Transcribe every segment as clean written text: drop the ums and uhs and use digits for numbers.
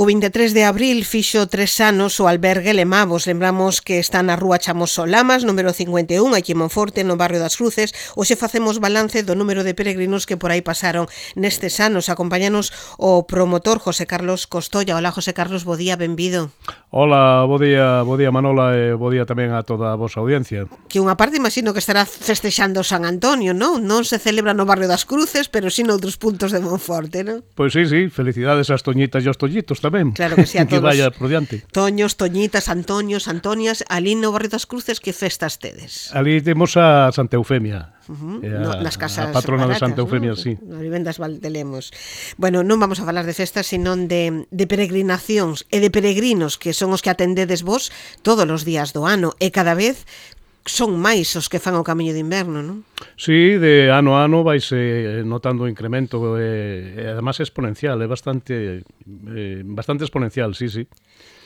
O 23 de abril fixo 3 anos o albergue Lemavos. Lembramos que está na rúa Chamoso Lamas, número 51, aquí en Monforte, no barrio das Cruces. Hoxe facemos balance do número de peregrinos que por aí pasaron nestes anos. Acompáñanos o promotor José Carlos Costolla. Hola, José Carlos, bo día, benvido. Hola, bo día Manola e bo día tamén a toda a vosa audiencia. Que unha parte imagino que estará festexando San Antonio, non? Non se celebra no barrio das Cruces, pero sí noutros puntos de Monforte, non? Pois sí, felicidades ás toñitas e aos toñitos tamén. Claro que sí, a todos. Que vaya por diante. Toños, toñitas, Antonios, Antonias, ali no barrio das Cruces, que festas tedes? Ali temos a Santa Eufemia. Nas casas a patrona baratas, de Santa Eufemia, ¿no? sí. Nas vivendas Valdelemos. Bueno, non vamos a falar de festas, senón de peregrinacións e de peregrinos, que son os que atendedes vos todos os días do ano, e cada vez son máis os que fan o camiño de inverno, non? Sí, de ano a ano vaise notando o incremento e además é exponencial, é bastante exponencial, sí.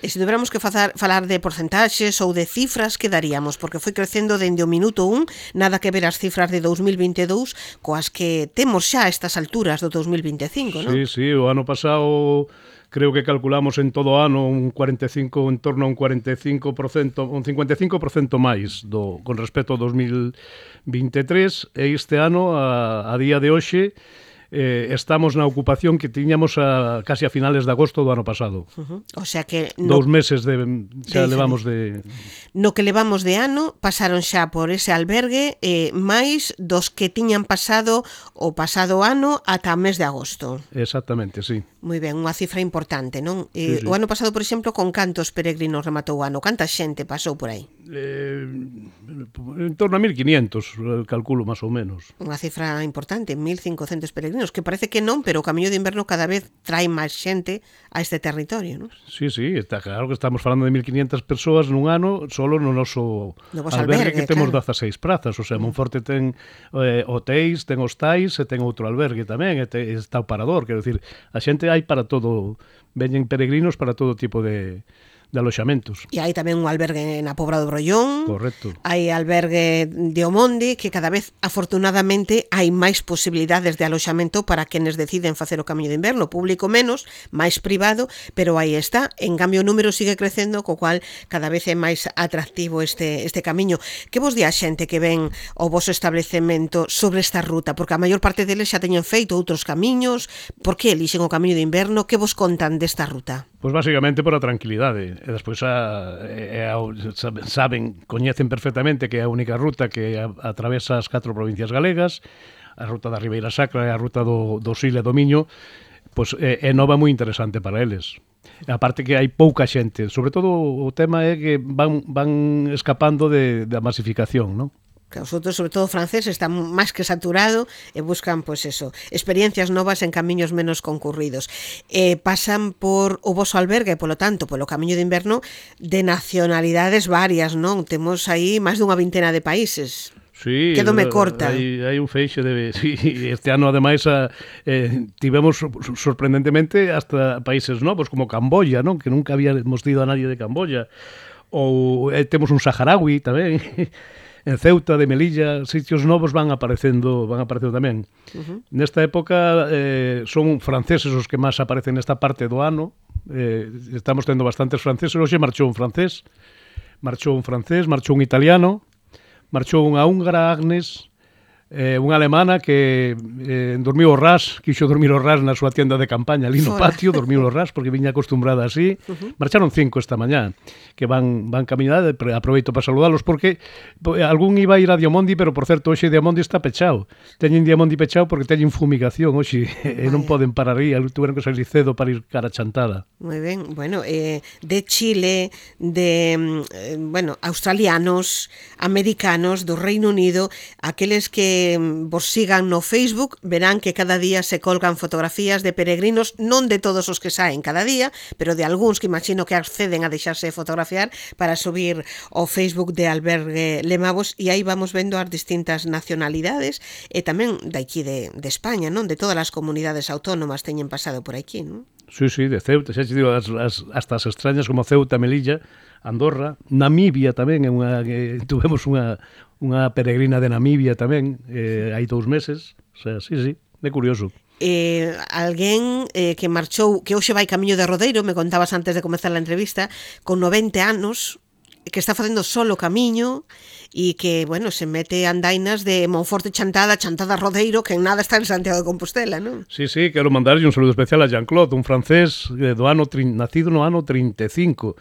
E se tuviéramos que falar de porcentaxes ou de cifras, que daríamos? Porque foi crecendo dende o minuto 1, nada que ver as cifras de 2022 coas que temos xa a estas alturas do 2025, non? Sí, o ano pasado creo que calculamos en todo o ano un 45, en torno a un 45%, un 55% máis con respecto ao 2023, e este ano, a día de hoxe, estamos na ocupación que tiñamos casi a finales de agosto do ano pasado. O sea que 2 meses xa levamos de... No que levamos de ano, pasaron xa por ese albergue máis dos que tiñan pasado o pasado ano ata o mes de agosto. Exactamente, sí. Moi ben, unha cifra importante, non? Sí. O ano pasado, por exemplo, con cantos peregrinos rematou o ano? Canta xente pasou por aí? En torno a 1.500, calculo, máis ou menos. Unha cifra importante, 1.500 peregrinos, que parece que non, pero o camiño de inverno cada vez trae máis xente a este territorio, non? Sí, está claro que estamos falando de 1.500 persoas nun ano solo no noso albergue que temos, claro, 16 prazas, o sea, Monforte ten hotéis, ten hostais e ten outro albergue tamén, e está o parador, quero dicir, a xente hai para todo, veñen peregrinos para todo tipo de aloxamentos. E hai tamén un albergue na Pobra do Brollón. Correcto. Hai albergue de Omonde, que cada vez, afortunadamente, hai máis posibilidades de aloxamento para quenes deciden facer o camiño de inverno. Público menos, máis privado, pero aí está. En cambio, o número sigue crecendo, co cual cada vez é máis atractivo este camiño. Que vos di a xente que ven o voso establecemento sobre esta ruta? Porque a maior parte deles xa teñen feito outros camiños. Por que elixen o camiño de inverno? Que vos contan desta ruta? Pois basicamente por a tranquilidade. E despois coñecen perfectamente que é a única ruta que atravesa as 4 provincias galegas, a ruta da Ribeira Sacra e a ruta do Sil e do Miño, pois é nova moi interesante para eles. A parte que hai pouca xente, sobre todo o tema é que van escapando da masificación, non? Que os outros, sobre todo francés, están máis que saturado e buscan, pois eso, experiencias novas en camiños menos concurridos. Pasan por o voso albergue, polo tanto, polo camiño de inverno, de nacionalidades varias, non? Temos aí máis dunha vintena de países. Sí, quedome corta. Hai un feixe de... Sí, este ano, ademais, tivemos sorprendentemente hasta países novos, como Camboya, non? Que nunca habíamos ido a nadie de Camboya. Ou temos un saharaui tamén. En Ceuta, de Melilla, sitios novos van aparecendo tamén. Nesta época son franceses os que máis aparecen nesta parte do ano. Estamos tendo bastantes franceses. Hoxe marchou un francés, marchou un italiano, marchou unha húngara, Agnes, unha alemana que dormiu o ras, quixo dormir o ras na súa tienda de campaña ali no patio, dormiu o ras porque viña acostumbrada así. Marcharon 5 esta mañá que van camiñar, aproveito para saludalos porque algún iba a ir a Diamondi, pero por certo hoxe Diamondi está pechado. Teñen Diamondi pechado porque teñen fumigación hoxe e non poden parar aí, tuveron que salir cedo para ir cara Chantada. Moi ben, bueno, de Chile, de australianos, americanos, do Reino Unido, aqueles que vos sigan no Facebook verán que cada día se colgan fotografías de peregrinos, non de todos os que saen cada día, pero de algúns que imagino que acceden a deixarse fotografiar para subir ao Facebook de Albergue Lemavos, e aí vamos vendo as distintas nacionalidades e tamén daqui de España, non? De todas as comunidades autónomas teñen pasado por aquí, non? Sí, de Ceuta, xa te digo, hasta as extrañas como Ceuta, Melilla, Andorra, Namibia tamén, tuvemos unha peregrina de Namibia tamén, hai 2 meses, o sea, sí, é curioso. alguén que marchou, que hoxe vai camiño de Rodeiro, me contabas antes de comezar a entrevista, con 90 anos, que está facendo solo camiño e que, bueno, se mete andainas de Monforte Chantada, Chantada Rodeiro, que en nada está en Santiago de Compostela, non? Sí, quero mandarlle un saludo especial a Jean-Claude, un francés nacido no ano 35.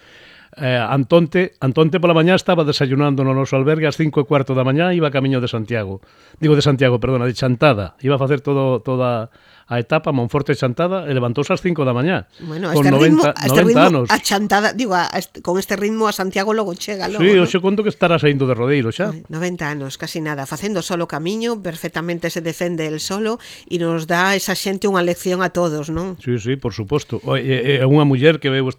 Antonte pola mañá estaba desayunando no noso albergue ás 5:15 da mañá, iba camiño de Santiago. Digo de Santiago, perdona, de Chantada. Iba a facer toda a etapa Monforte Chantada e levantouse ás 5 da mañá. Bueno, con este 90 ritmo anos. a Chantada, digo, con este ritmo a Santiago logo chega logo. Sí, ¿no? hoxe conto que estará saindo de Rodeiro xa. 90 anos, casi nada, facendo solo camiño, perfectamente se defende el solo e nos dá esa xente unha lección a todos, non? Sí, por suposto. É unha muller que veu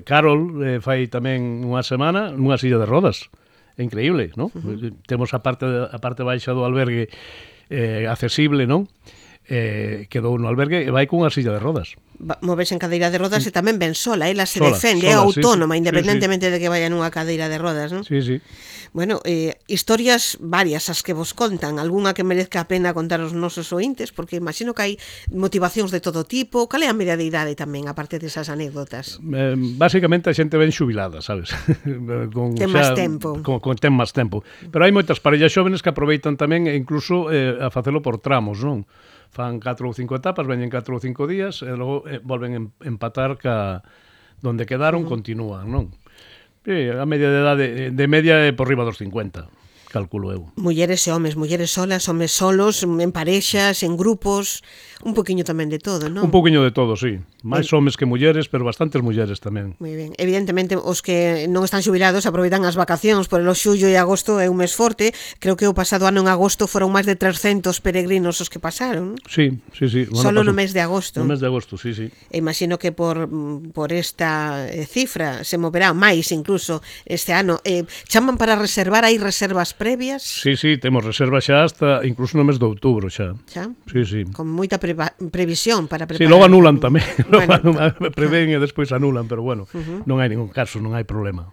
Carol, fai tamén unha semana nunha silla de rodas. É increíble, non? Temos a parte baixa do albergue accesible, non? Quedou no albergue e vai cunha silla de rodas. Moves en cadeira de rodas e tamén ven sola, ela se sola, defende, é autónoma, sí, independentemente de que vaya nunha cadeira de rodas, non? Sí. Bueno, historias varias as que vos contan, algunha que merezca a pena contar aos nosos ointes, porque imagino que hai motivacións de todo tipo. Cal é a media de idade tamén, aparte desas anécdotas? Básicamente a xente ben xubilada, sabes? Ten máis tempo. Ten máis tempo. Pero hai moitas parellas xóvenes que aproveitan tamén e incluso a facelo por tramos, non? Fan 4 ou 5 etapas, veñen 4 ou 5 días e logo volven empatar donde quedaron, continúan, non? A media de edade de media é por riba dos 50, calculo eu. Mulleres e homes solas, homes solos, en parexas, en grupos, un poquinho tamén de todo, non? Un poquinho de todo, sí. Máis homes que mulleres, pero bastantes mulleres tamén. Moi ben. Evidentemente, os que non están xubilados aproveitan as vacacións, por el xullo e agosto é un mes forte. Creo que o pasado ano en agosto foron máis de 300 peregrinos os que pasaron. Sí. Bueno, solo no mes de agosto. No mes de agosto, sí. E imagino que por esta cifra se moverá máis incluso este ano. Chaman para reservar, hai reservas previas? Sí, temos reservas xa hasta incluso no mes de outubro xa. Xa? Sí. Con moita previsión para preparar. Sí, logo anulan tamén. Prevén e despois anulan, pero bueno, non hai ningún caso, non hai problema.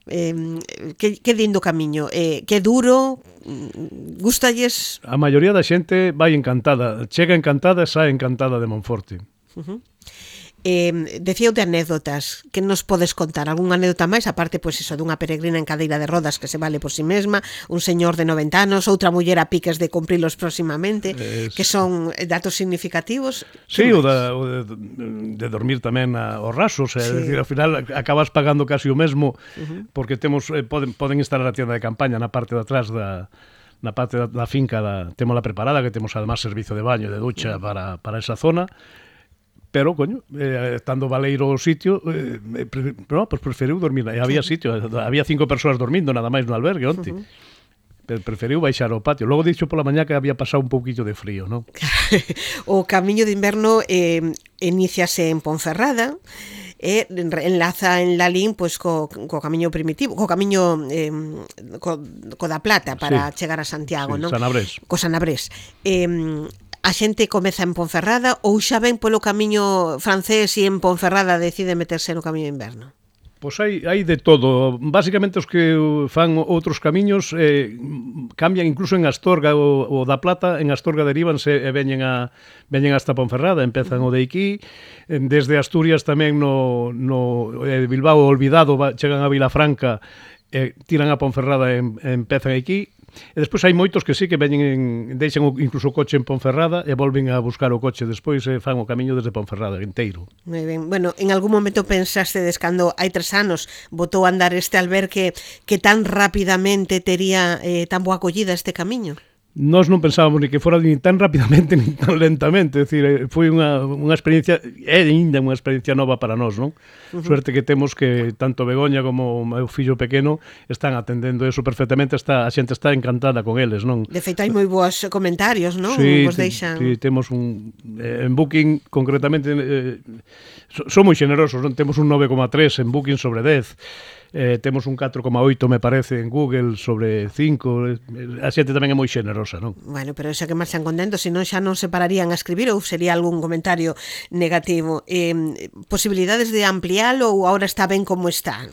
Que lindo camiño, que duro, gústalles? A maioría da xente vai encantada, chega encantada e sae encantada de Monforte. Decío de anécdotas, que nos podes contar? Algún anécdota máis, aparte, pois iso, dunha peregrina en cadeira de rodas que se vale por si mesma, un señor de 90 anos, outra muller a piques de cumprilos próximamente, que son datos significativos? Sí, o de dormir tamén aos rasos, é dicir, ao final acabas pagando casi o mesmo, porque temos poden instalar a tienda de campaña na parte de atrás na parte da finca, témola preparada, que temos además servizo de baño e de ducha para esa zona. Pero, coño, estando baleiro o sitio, pues preferiu dormir. E había sitio, había 5 persoas dormindo nada máis no albergue onte. Preferiu baixar ao patio. Logo dixo pola mañá que había pasado un pouquillo de frío, non? O camiño de inverno iníciase en Ponferrada, enlaza en Lalín pois co camiño primitivo, co camiño co da Plata para chegar a Santiago, non? Sanabrés. Co Sanabrés. A xente comeza en Ponferrada ou xa ven polo camiño francés e en Ponferrada decide meterse no camiño de inverno? Pois hai de todo. Básicamente os que fan outros camiños cambian incluso en Astorga o da Plata, en Astorga derivanse e veñen hasta Ponferrada, empezan o de aquí, desde Asturias tamén no Bilbao olvidado, chegan a Vilafranca, tiran a Ponferrada e empezan aquí. E despois hai moitos que sí que deixan incluso o coche en Ponferrada e volven a buscar o coche despois e fan o camiño desde Ponferrada inteiro. Moi ben. Bueno, en algún momento pensastedes cando hai 3 anos botou a andar este albergue que tan rapidamente tería tan boa acollida este camiño? Nós non pensábamos ni que fora ni tan rapidamente ni tan lentamente, é dicir, foi unha experiencia, é ainda unha experiencia nova para nós, non? Suerte que temos que tanto Begoña como o meu fillo pequeno están atendendo eso perfectamente, a xente está encantada con eles, non? De feito, hai moi boas comentarios, non? Sí, vos deixan... sí, temos en Booking, concretamente, son moi generosos, non? Temos un 9,3 en Booking sobre 10, temos un 4,8 me parece en Google sobre 5, a xente tamén é moi xenerosa, non? Bueno, pero eso que marchan contentos, senón xa non se pararían a escribir ou sería algún comentario negativo. Posibilidades de ampliálo ou agora está ben como está?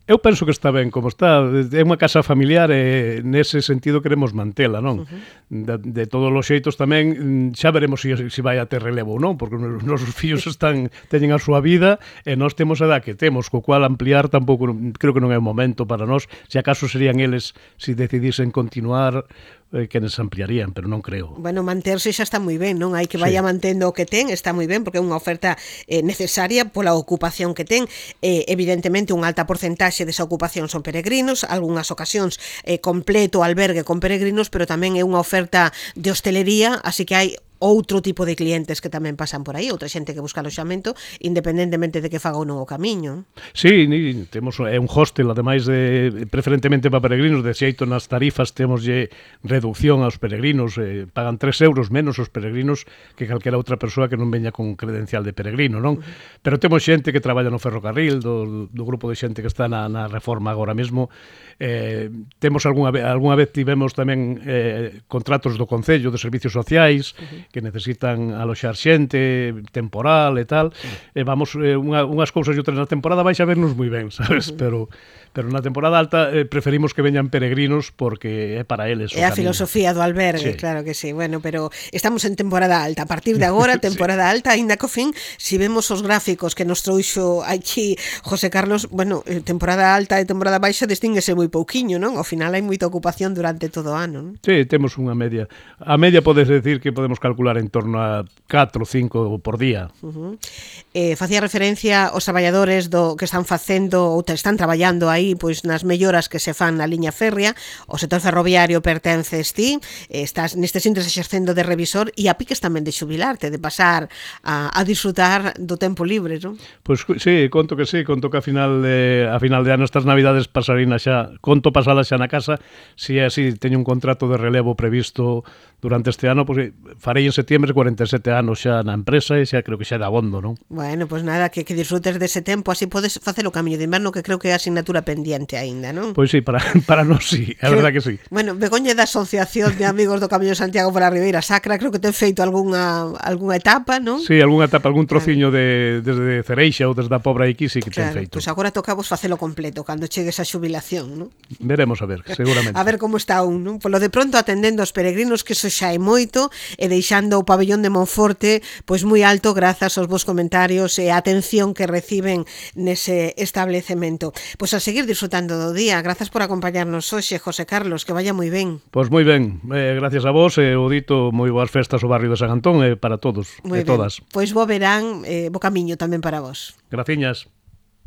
Eu penso que está ben como está. É unha casa familiar e nese sentido queremos mantela, non? De todos os xeitos tamén xa veremos se vai a ter relevo ou non, porque os nosos fillos teñen a súa vida e nós temos a edad que temos, co cual ampliar tampouco creo que non é o momento para nós. Se acaso serían eles, se decidisen continuar, que nos ampliarían, pero non creo. Bueno, manterse xa está moi ben, non? Hai que vaya mantendo o que ten, está moi ben, porque é unha oferta necesaria pola ocupación que ten. Evidentemente, unha alta porcentaxe desa ocupación son peregrinos, algunhas ocasións completo albergue con peregrinos, pero tamén é unha oferta de hostelería, así que hai outro tipo de clientes que tamén pasan por aí, outra xente que busca aloxamento, independentemente de que faga ou non o camiño. Sí, temos un hostel, ademais preferentemente para peregrinos, de xeito nas tarifas temoslle reducción aos peregrinos, pagan 3 euros menos os peregrinos que calquera outra persoa que non veña con credencial de peregrino, non? Pero temos xente que traballa no ferrocarril, do grupo de xente que está na reforma agora mesmo. Temos algunha vez tivemos tamén contratos do Concello de Servicios Sociais, que necesitan aloxar xente, temporal e tal, e vamos, unhas cousas e outras na temporada vais a vernos moi ben, sabes? Pero na temporada alta preferimos que veñan peregrinos porque é para eles. É a filosofía do albergue, claro que sí. Bueno, pero estamos en temporada alta. A partir de agora, temporada alta, aínda co fin, se vemos os gráficos que nos trouxo aquí José Carlos, bueno, temporada alta e temporada baixa distínguese moi pouquiño, non? Ao final hai moita ocupación durante todo o ano, non? Sí, temos unha media. A media podes decir que podemos calcular en torno a 4 ou 5 por día. Facía referencia aos traballadores que están facendo ou están traballando aí pois nas melloras que se fan na liña férrea. O sector ferroviario pertences ti, estás nestes intres exercendo de revisor e a piques tamén de xubilarte, de pasar a disfrutar do tempo libre, non? Pois sí, conto que a final de ano estas navidades pasarina xa, conto pasala xa na casa, se é así, teño un contrato de relevo previsto durante este ano, pois farei en setiembre 47 anos xa na empresa e xa creo que xa é de abondo, non? Bueno, pois nada, que disfrutes dese tempo, así podes facer o camiño de inverno, que creo que é a asignatura pendiente aínda, non? Pois sí, para nós sí, a verdad que sí. Bueno, Begoña da Asociación de Amigos do Camiño de Santiago para a Ribeira Sacra, creo que ten feito algunha etapa, non? Sí, algunha etapa, algún trociño desde Cereixa ou desde a Pobra aquí sí que ten feito. Pois agora tocamos facelo completo cando chegues a xubilación, non? Veremos a ver, seguramente. A ver como está un, non? Polo de pronto atendendo aos peregrinos, que iso xa é moito, e deixando o pabellón de Monforte pois moi alto grazas aos vos comentarios e a atención que reciben nese establecemento. Pois a seguir disfrutando do día. Grazas por acompañarnos hoxe, José Carlos, que vaya moi ben. Pois moi ben, gracias a vos e o dito moi boas festas ao barrio de San Antón e para todos e todas. Pois bo verán, bo camiño tamén para vos. Graciñas.